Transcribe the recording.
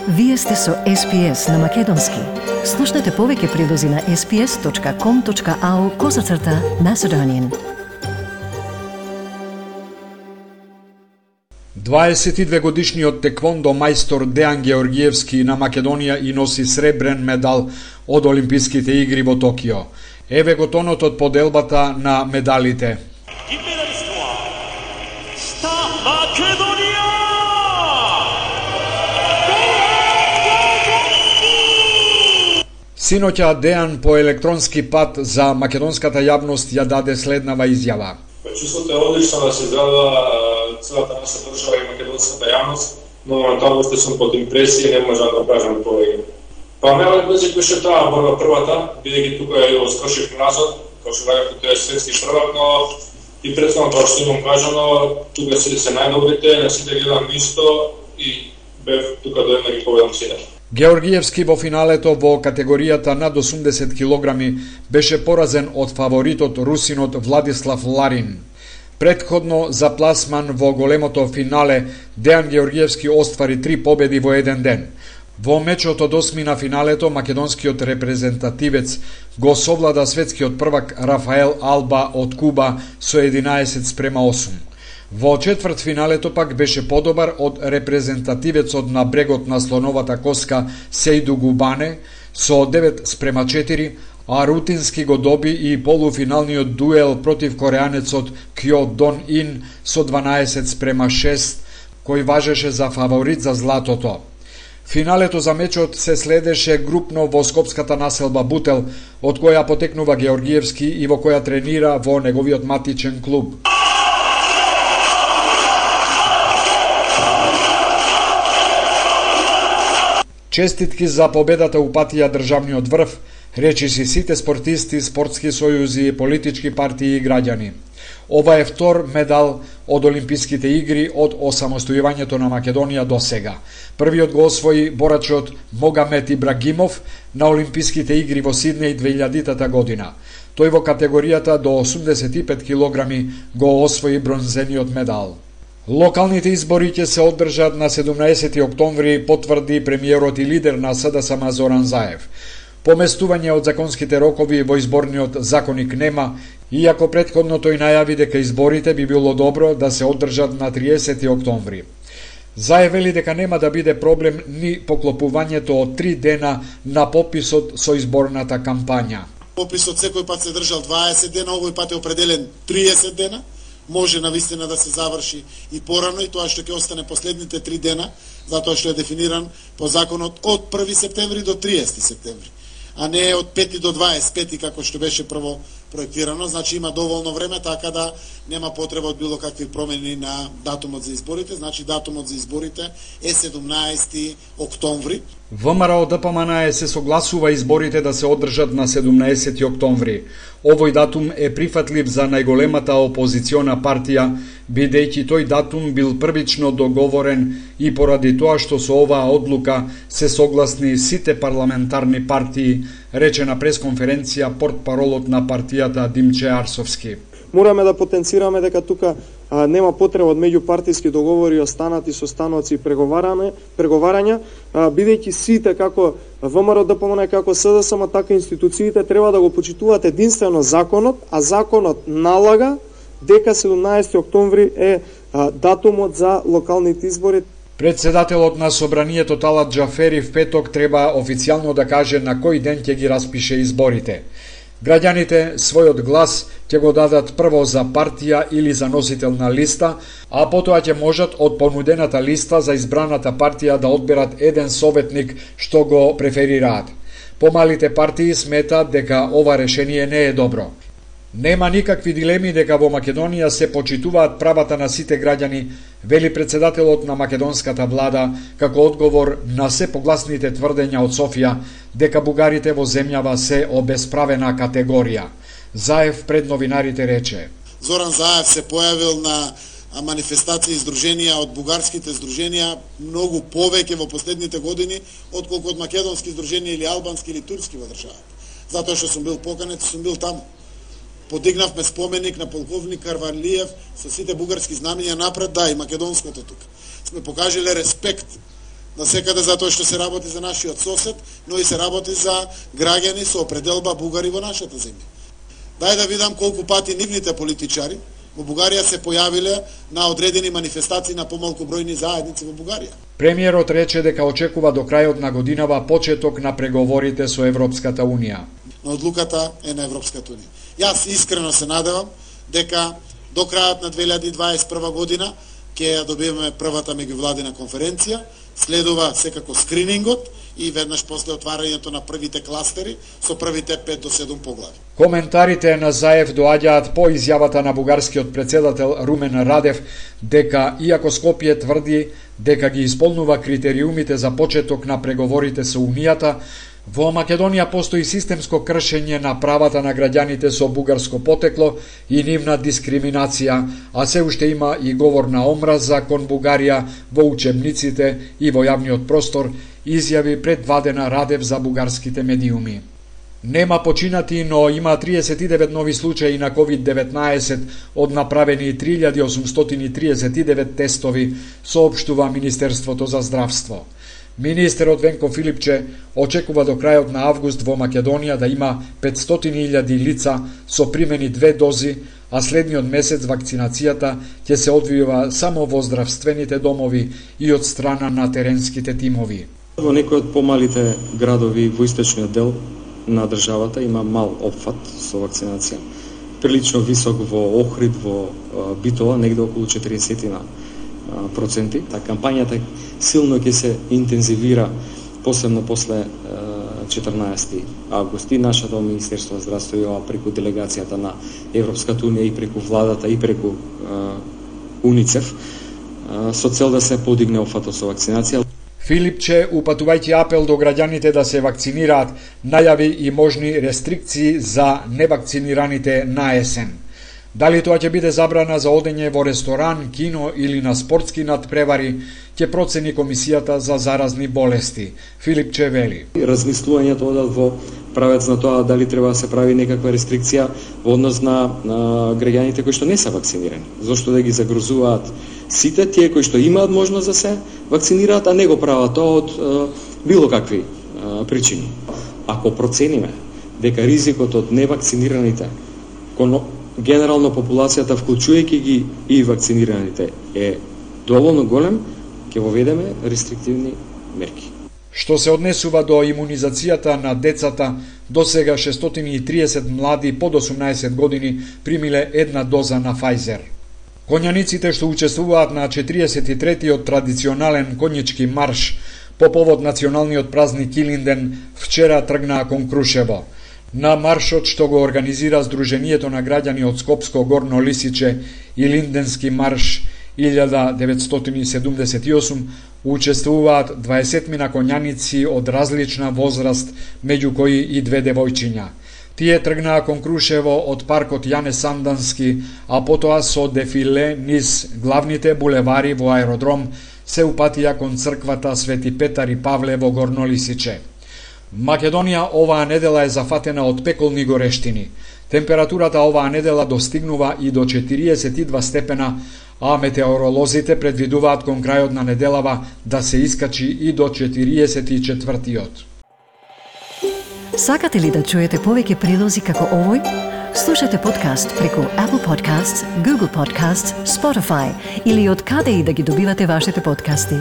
Вие сте со SPS на Македонски. Слушнете повеќе прилози на sps.com.au/Macedonian. 22-годишниот теквондо мајстор Дејан Георгиевски на Македонија и носи сребрен медал од Олимписките игри во Токио. Еве го тонот од поделбата на медалите. Синоќа Дејан по електронски пат за македонската јавност ја даде следнава изјава. Чувството е одлично да се израдува целата наша држава и македонската јавност, но моментално што сум под импресија, не можам да кажам повеќе. Мелот беше таа борба првата, бидејќи тука ја скошив назад, како што кажав, тој е светски првак, но и претходно тоа што имам кажано, тука се најдобрите, на сите гледам исто и бев тука до една ги победам сите. Георгиевски во финалето во категоријата над 80 килограми беше поразен од фаворитот русинот Владислав Ларин. Претходно за пласман во големото финале Дејан Георгиевски оствари 3 победи во еден ден. Во мечот од осмина финалето македонскиот репрезентативец го совлада светскиот првак Рафаел Алба од Куба со 11:8. Во четвртфиналето пак беше подобар од репрезентативецот на брегот на слоновата коска Сејду Губане со 9:4, а рутински го доби и полуфиналниот дуел против кореанецот Кјо Дон Ин со 12:6, кој важеше за фаворит за златото. Финалето за мечот се следеше групно во скопската населба Бутел, од која потекнува Георгиевски и во која тренира во неговиот матичен клуб. Честитки за победата упатија државниот врв, речиси сите спортисти, спортски сојузи, политички партии и граѓани. Ова е втор медал од Олимписките игри од осамостојувањето на Македонија до сега. Првиот го освои борачот Могамет Ибрагимов на Олимписките игри во Сиднеј 2000 година. Тој во категоријата до 85 килограми го освои бронзениот медал. Локалните избори ќе се одржат на 17 октомври, потврди премиерот и лидер на СДСМ Зоран Заев. Поместување од законските рокови во изборниот законник нема, иако претходно тој најави дека изборите би било добро да се одржат на 30 октомври. Заев вели дека нема да биде проблем ни поклопувањето од 3 дена на пописот со изборната кампања. Пописот секој пат се држал 20 дена, овој пат е определен 30 дена. Може навистина да се заврши и порано, и тоа што ќе остане последните 3 дена, затоа што е дефиниран по законот од 1 септември до 30 септември, а не од 5 до 25 како што беше прво проектирано. Значи има доволно време, така да нема потреба од било какви промени на датумот за изборите. Значи датумот за изборите е 17 октомври. ВМРО ДПМН се согласува изборите да се одржат на 17 октомври. Овој датум е прифатлив за најголемата опозициона партија, бидејќи тој датум бил првично договорен и поради тоа што со оваа одлука се согласни сите парламентарни партии, рече на пресконференција портпаролот на партијата Димче Арсовски. Мораме да потенцираме дека тука нема потреба од меѓупартиски договори, останати состаноци и преговарања, бидејќи сите како ВМРО ДПМН, како СДСМ, така институциите треба да го почитуваат единствено законот, а законот налага дека 17 октомври е датумот за локалните избори. Председателот на собранието Талат Џафери в петок треба официјално да каже на кој ден ќе ги распише изборите. Граѓаните својот глас ќе го дадат прво за партија или за носител на листа, а потоа ќе можат од понудената листа за избраната партија да одберат еден советник што го преферираат. Помалите партии сметаат дека ова решение не е добро. Нема никакви дилеми дека во Македонија се почитуваат правата на сите граѓани, вели председателот на македонската влада, како одговор на се погласните тврдења од Софија дека бугарите во земјава се обесправена категорија. Заев пред новинарите рече: Зоран Заев се појавил на манифестации и здруженија од бугарските здруженија многу повеќе во последните години отколку од македонски здруженија или албански или турски во државата. Затоа што сум бил поканет, сум бил таму. Подигнавме споменик на полковник Карвалиев со сите бугарски знамења напред, да, и македонското тука. Сме покажале респект на секаде затоа што се работи за нашиот сосед, но и се работи за граѓани со определба бугари во нашата земја. Дај да видам колку пати нивните политичари во Бугарија се појавиле на одредени манифестации на помалку бројни заедници во Бугарија. Премиерот рече дека очекува до крајот на годинава почеток на преговорите со Европската Унија. Но одлуката е на Европската Унија. Јас искрено се надевам дека до крајот на 2021 година ќе ја добиеме првата меѓувладина конференција, следува секако скринингот и веднаш после отварањето на првите кластери со првите 5 до 7 поглави. Коментарите на Заев доаѓаат по изјавата на бугарскиот претседател Румен Радев дека, иако Скопје тврди дека ги исполнува критериумите за почеток на преговорите со Унијата, во Македонија постои системско кршење на правата на граѓаните со бугарско потекло и нивна дискриминација, а се уште има и говор на омраза кон Бугарија во учебниците и во јавниот простор, изјави пред 2 дена Радев за бугарските медиуми. Нема починати, но има 39 нови случаи на COVID-19 од направени 3839 тестови, соопштува Министерството за здравство. Министерот Венко Филипче очекува до крајот на август во Македонија да има 500.000 лица со примени 2 дози, а следниот месец вакцинацијата ќе се одвива само во здравствените домови и од страна на теренските тимови. Во некои од помалите градови во источниот дел на државата има мал опфат со вакцинација. Прилично висок во Охрид, во Битола, негде околу 40%. Кампањата силно ќе се интензивира, посебно после 14 август. И нашето Министерство за здравство и ова преку делегацијата на Европската Унија и преку владата и преку УНИЦЕФ со цел да се подигне опфатот со вакцинација. Филипче, упатувајќи апел до граѓаните да се вакцинираат, најави и можни рестрикции за невакцинираните на есен. Дали тоа ќе биде забрана за одење во ресторан, кино или на спортски надпревари, ќе процени Комисијата за заразни болести. Филипче вели: размислувањето одат во правец на тоа дали треба да се прави некаква рестрикција во однос на граѓаните кои што не се вакцинирани. Зошто да ги загрозуваат сите тие кои што имаат можност да се вакцинираат, а не го прават тоа од било какви причини. Ако процениме дека ризикот од невакцинираните кон генерално популацијата, вклучувајќи ги и вакцинираните, е доволно голем, ќе воведеме рестриктивни мерки. Што се однесува до имунизацијата на децата, до сега 630 млади под 18 години примиле 1 доза на Pfizer. Конјаниците што учествуваат на 43-тиот традиционален конјички марш по повод националниот празник Илинден вчера тргнаа кон Крушево. На маршот што го организира Сдруженијето на граѓани од Скопско Горно Лисиче и Линденски марш 1978 учествуваат 20 конјаници од различна возраст, меѓу кои и 2 девојчиња. Тие тргнаа кон Крушево од паркот Јане Сандански, а потоа со дефиле низ главните булевари во аеродром се упатија кон црквата Свети Петар и Павле во Горно Лисиче. Македонија оваа недела е зафатена од пеколни горештини. Температурата оваа недела достигнува и до 42 степена, а метеоролозите предвидуваат кон крајот на неделава да се искачи и до 44-тиот. Сакате ли да чуете повеќе прилози како овој? Слушате подкаст преку Apple Podcasts, Google Podcasts, Spotify или од каде и да ги добивате вашите подкасти.